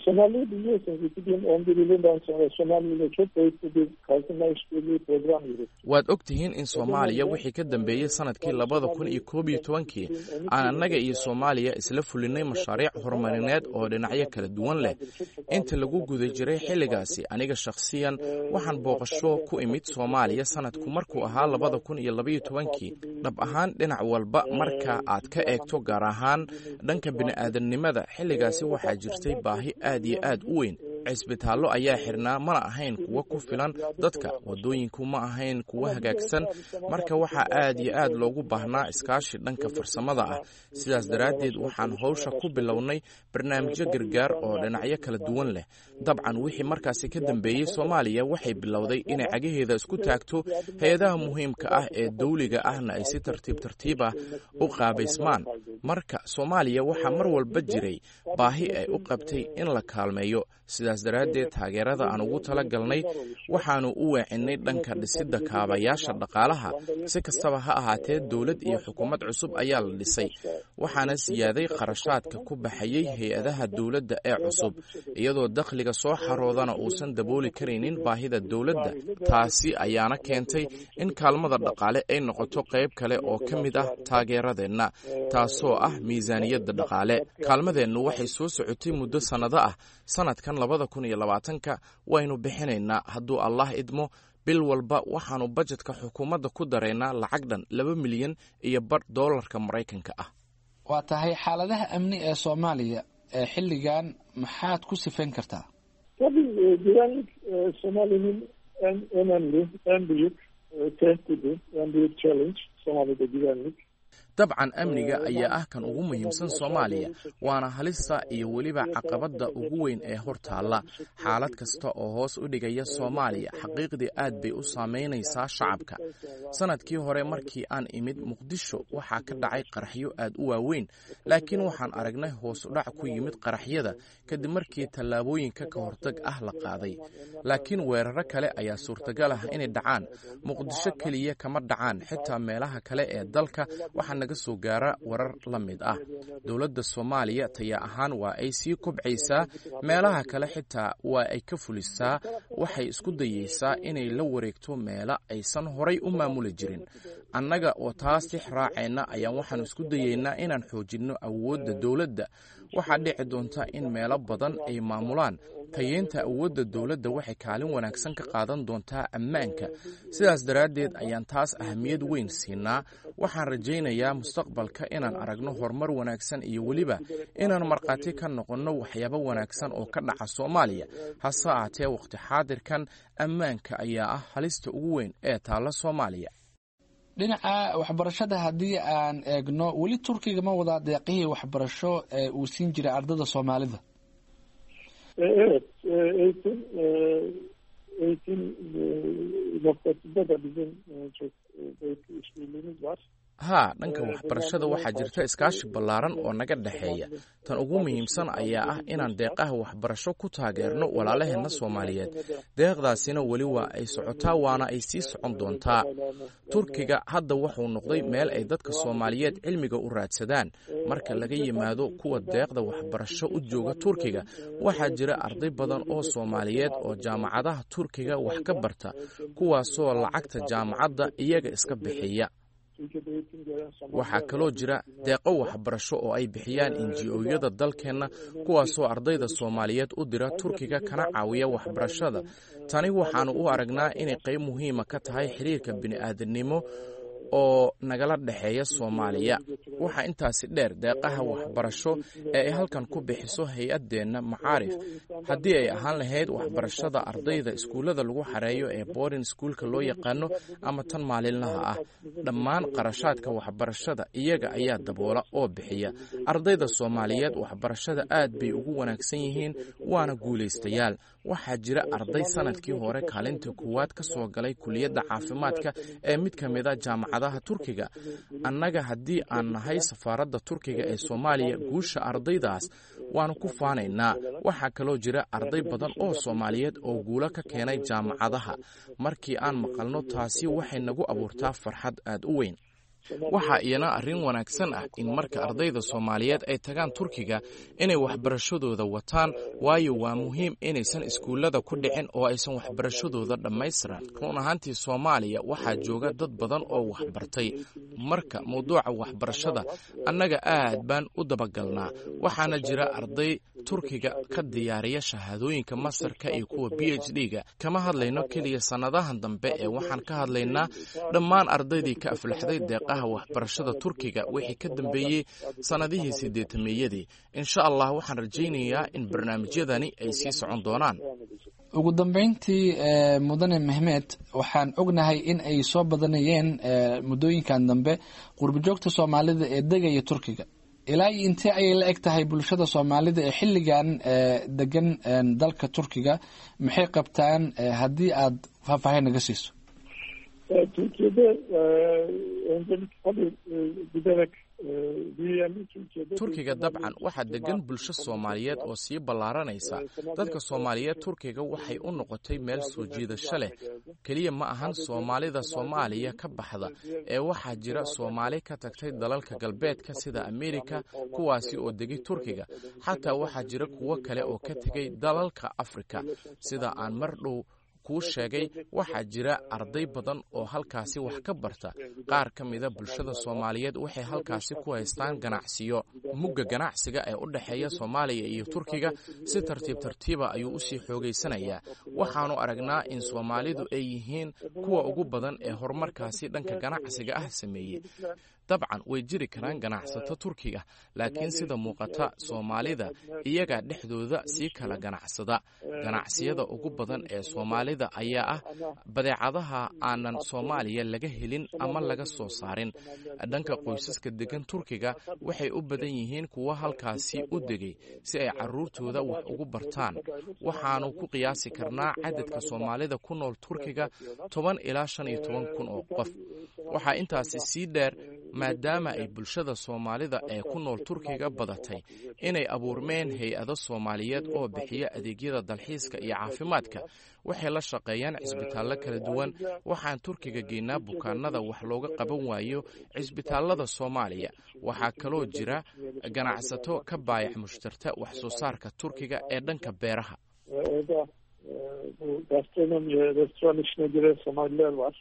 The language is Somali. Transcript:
Somali'yi biliyorsunuz, 2011 yılından sonra Somali ile çok boyutlu bir kalkınma işbirliği program yürüttük. Waad og tihiin in Soomaaliya wixii ka dambeeyey sanadkii 2011-kii aan annaga iyo Soomaaliya isla fulinay mashaariic horumarineed oo dhinacyo kala duwan leh. Inta lagu guda jiray xilligaasi, aniga shakhsiyan waxaan booqasho ku imid Soomaaliya sanadku markuu ahaa 2012-kii. Dhab ahaan, dhinac walba marka aad ka eegto, gaar ahaan dhanka bini'aadamnimada, xilligaasi waxaa jirtay baahi aad iyo aad u weyn. Cisbitaallo ayaa xirnaa, mana ahayn kuwa ku filan dadka, waddooyinku ma ahayn kuwa hagaagsan. Marka waxaa aad iyo aad loogu baahnaa iskaashi dhanka farsamada ah. Sidaas daraaddeed waxaan howsha ku bilownay barnaamijyo gargaar oo dhinacyo kala duwan leh. Dabcan, wixii markaasi ka dambeeyey, Soomaaliya waxay bilowday inay cagaheeda isku taagto, hay-adaha muhiimka ah ee dawliga ahna ay si tartiib tartiib ah u qaabaysmaan. Marka Soomaaliya waxaa mar walba jiray baahi ay u qabtay in la kaalmeeyo. Sidaas daraaddeed taageerada aan ugu tala galnay waxaanu u weecinnay dhanka dhisidda kaabayaasha dhaqaalaha. Si kastaba ha ahaatee, dowlad iyo xukuumad cusub ayaa la dhisay, waxaana siyaaday kharashaadka ku baxayey hay-adaha dowladda ee cusub, iyadoo dakhliga soo xaroodana uusan dabooli karaynin baahida dowladda. Taasi ayaana keentay in kaalmada dhaqaale ay noqoto qayb kale oo ka mid ah taageeradeenna, taasoo ah miisaaniyadda dhaqaale. Kaalmadeennu waxay soo socotay muddo sannado ah. Sanadkan 2020-ka waynu bixinaynaa, hadduu Allah idmo. Bil walba waxaanu bajetka xukuumadda ku daraynaa lacag dhan 2.5 milyan doolarka Maraykanka ah. Waa tahay. Xaaladaha amni ee Soomaaliya ee xilligan maxaad ku sifayn kartaa? Tabii güvenlik Somali'nin en önemli, en büyük tehdidi, en büyük challenge Somali'de güvenlik. Dabcan, amniga ayaa ah kan ugu muhiimsan Soomaaliya, waana halista iyo weliba caqabadda ugu weyn ee hor taalla. Xaalad kasta oo hoos u dhigaya Soomaaliya xaqiiqdii aad bay u saameynaysaa shacabka. Sanadkii hore markii aan imid Muqdisho, waxaa ka dhacay qaraxyo aad u waaweyn, laakiin waxaan aragnay hoos u dhac ku yimid qaraxyada kadib markii tallaabooyinka ka hortag ah la qaaday. Laakiin weeraro kale ayaa suurtagal ah inay dhacaan. Muqdisho keliya kama dhacaan, xitaa meelaha kale ee dalka waxaa naga soo gaara warar la mid ah. Dowladda Soomaaliya taya ahaan waa ay sii kobcaysaa, meelaha kale xitaa waa ay ka fulisaa. Waxay isku dayeysaa inay la wareegto meelo aysan horay u maamuli jirin. Annaga oo taas tix raacayna ayaan waxaanu isku dayeynaa inaan xoojinno awoodda dowladda. Waxaa dhici doonta in meelo badan ay maamulaan. Tayeynta awoodda dowladda waxay kaalin wanaagsan ka qaadan doontaa ammaanka. Sidaas daraaddeed ayaan taas ahamiyad weyn siinaa. Waxaan rajaynayaa mustaqbalka inaan aragno horumar wanaagsan iyo weliba inaan markhaati ka noqonno waxyaabo wanaagsan oo ka dhaca Soomaaliya. Hase ahaatee, waqti xaadirkan ammaanka ayaa ah halista ugu weyn ee taalla Soomaaliya. Dhinaca waxbarashada haddii aan eegno, weli Turkiga ma wadaa deeqihii waxbarasho ee uu siin jiray ardada Soomaalida? Evet, eğitim noktasında da bizim çok büyük işbirliğimiz var. Haa, dhanka waxbarashada waxaa jirta iskaashi ballaaran oo naga dhexeeya. Tan ugu muhiimsan ayaa ah inaan deeqaha waxbarasho ku taageerno walaalaheenna Soomaaliyeed. Deeqdaasina weli waa ay socotaa, waana ay sii socon doontaa. Turkiga hadda wuxuu noqday meel ay dadka Soomaaliyeed cilmiga u raadsadaan. Marka laga yimaado kuwa deeqda waxbarasho u jooga Turkiga, waxaa jira arday badan oo Soomaaliyeed oo jaamacadaha Turkiga wax ka barta, kuwaasoo lacagta jaamacadda iyaga iska bixiya. Waxaa kaloo jira deeqo waxbarasho oo ay bixiyaan NGO-yada dalkeenna, kuwaasoo ardayda Soomaaliyeed u dira Turkiga kana caawiya waxbarashada. Tani waxaanu u aragnaa inay qayb muhiima ka tahay xiriirka bini'aadanimo oo nagala dhexeeya Soomaaliya. Waxaa intaasi dheer deeqaha waxbarasho ee ay halkan ku bixiso hay-addeenna Macaarif, haddii ay ahaan lahayd waxbarashada ardayda iskuullada lagu xareeyo ee boarding schoolka loo yaqaano ama tan maalinlaha ah. Dhammaan qarashaadka waxbarashada iyaga ayaa daboola oo bixiya. Ardayda Soomaaliyeed waxbarashada aad bay ugu wanaagsan yihiin, waana guulaystayaal. Waxaa jira arday sanadkii hore kaalinta koowaad ka soo galay kuliyadda caafimaadka ee mid ka mid a jaamacadaha Turkiga. Annaga haddii aan nahay safaaradda Turkiga ee Soomaaliya, guusha ardaydaas waanu ku faanaynaa. Waxaa kaloo jira arday badan oo Soomaaliyeed oo guulo ka keenay jaamacadaha. Markii aan maqalno taasi, waxay nagu abuurtaa farxad aad u weyn. Waxaa iyana arrin wanaagsan ah in marka ardayda Soomaaliyeed ay tagaan Turkiga inay waxbarashadooda wataan, waayo waa muhiim inaysan iskuullada ku dhicin oo aysan waxbarashadooda dhammaystiran. Run ahaantii, Soomaaliya waxaa jooga dad badan oo waxbartay. Marka mawduuca waxbarashada annaga aad baan u dabagalnaa, waxaana jira arday Turkiga ka diyaariya shahaadooyinka mastarka iyo kuwa PhD-ga. Kama hadlayno keliya sannadahan dambe ee waxaan ka hadlaynaa dhammaan ardaydii ka aflaxday deeqaha waxbarashada Turkiga wixii ka dambeeyey sannadihii 80-meeyadii. Insha Allah, waxaan rajaynayaa in barnaamijyadani ay sii socon doonaan. Ugu dambeyntii, mudane Mehmed, waxaan ognahay in ay soo badanayeen muddooyinkan dambe qurbajoogta Soomaalida ee degaya Turkiga. Ilaa iyo intee ayay la eg tahay bulshada Soomaalida ee xilligan degan dalka Turkiga? Maxay qabtaan, haddii aad faahfaahin naga siiso? Türkiye'de öncelik tabii giderek büyüyen bir Türkiye'de. Turkiga dabcan waxaa degan bulsho Soomaaliyeed oo sii ballaaranaysa. Dadka Soomaaliyeed Turkiga waxay u noqotay meel soo jiidasho leh. Keliya ma ahan Soomaalida Soomaaliya ka baxda ee waxaa jira Soomaali ka tagtay dalalka galbeedka sida Amerika, kuwaasi oo degay Turkiga. Xataa waxaa jira kuwo kale oo ka tegay dalalka Afrika. Sida aan mar dhow kuu sheegay, waxaa jira arday badan oo halkaasi wax ka barta. Qaar ka mida bulshada Soomaaliyeed waxay halkaasi ku haystaan ganacsiyo. Mugga ganacsiga ee u dhexeeya Soomaaliya iyo Turkiga si tartiib tartiiba ayuu usii xoogaysanayaa. Waxaanu aragnaa in Soomaalidu ay yihiin kuwa ugu badan ee horumarkaasi dhanka ganacsiga ah sameeyey. Dabcan way jiri karaan ganacsato Turkiga, laakiin sida muuqata Soomaalida iyagaa dhexdooda sii kala ganacsada. Ganacsiyada ugu badan ee Soomaalida ayaa ah badeecadaha aanan Soomaaliya laga helin ama laga soo saarin. Dhanka qoysaska degan Turkiga waxay u badan yihiin kuwa halkaasi u degay si ay caruurtooda wax ugu bartaan. Waxaanu ku qiyaasi karnaa cadadka Soomaalida ku nool Turkiga 10 ilaa 15 kun oo qof. Waxaa intaasi sii dheer, maadaama ay bulshada Soomaalida ee ku nool Turkiga badatay, inay abuurmeen hay-ado Soomaaliyeed oo bixiya adeegyada dalxiiska iyo caafimaadka. Waxay la shaqeeyaan cisbitaallo kala duwan. Waxaan Turkiga geynaa bukaanada wax looga qaban waayo cisbitaallada Soomaaliya. Waxaa kaloo jira ganacsato ka baayac mushtarta wax soo saarka Turkiga ee dhanka beeraha. Orada bu gastronomi, restoran işine giren Somaliler var.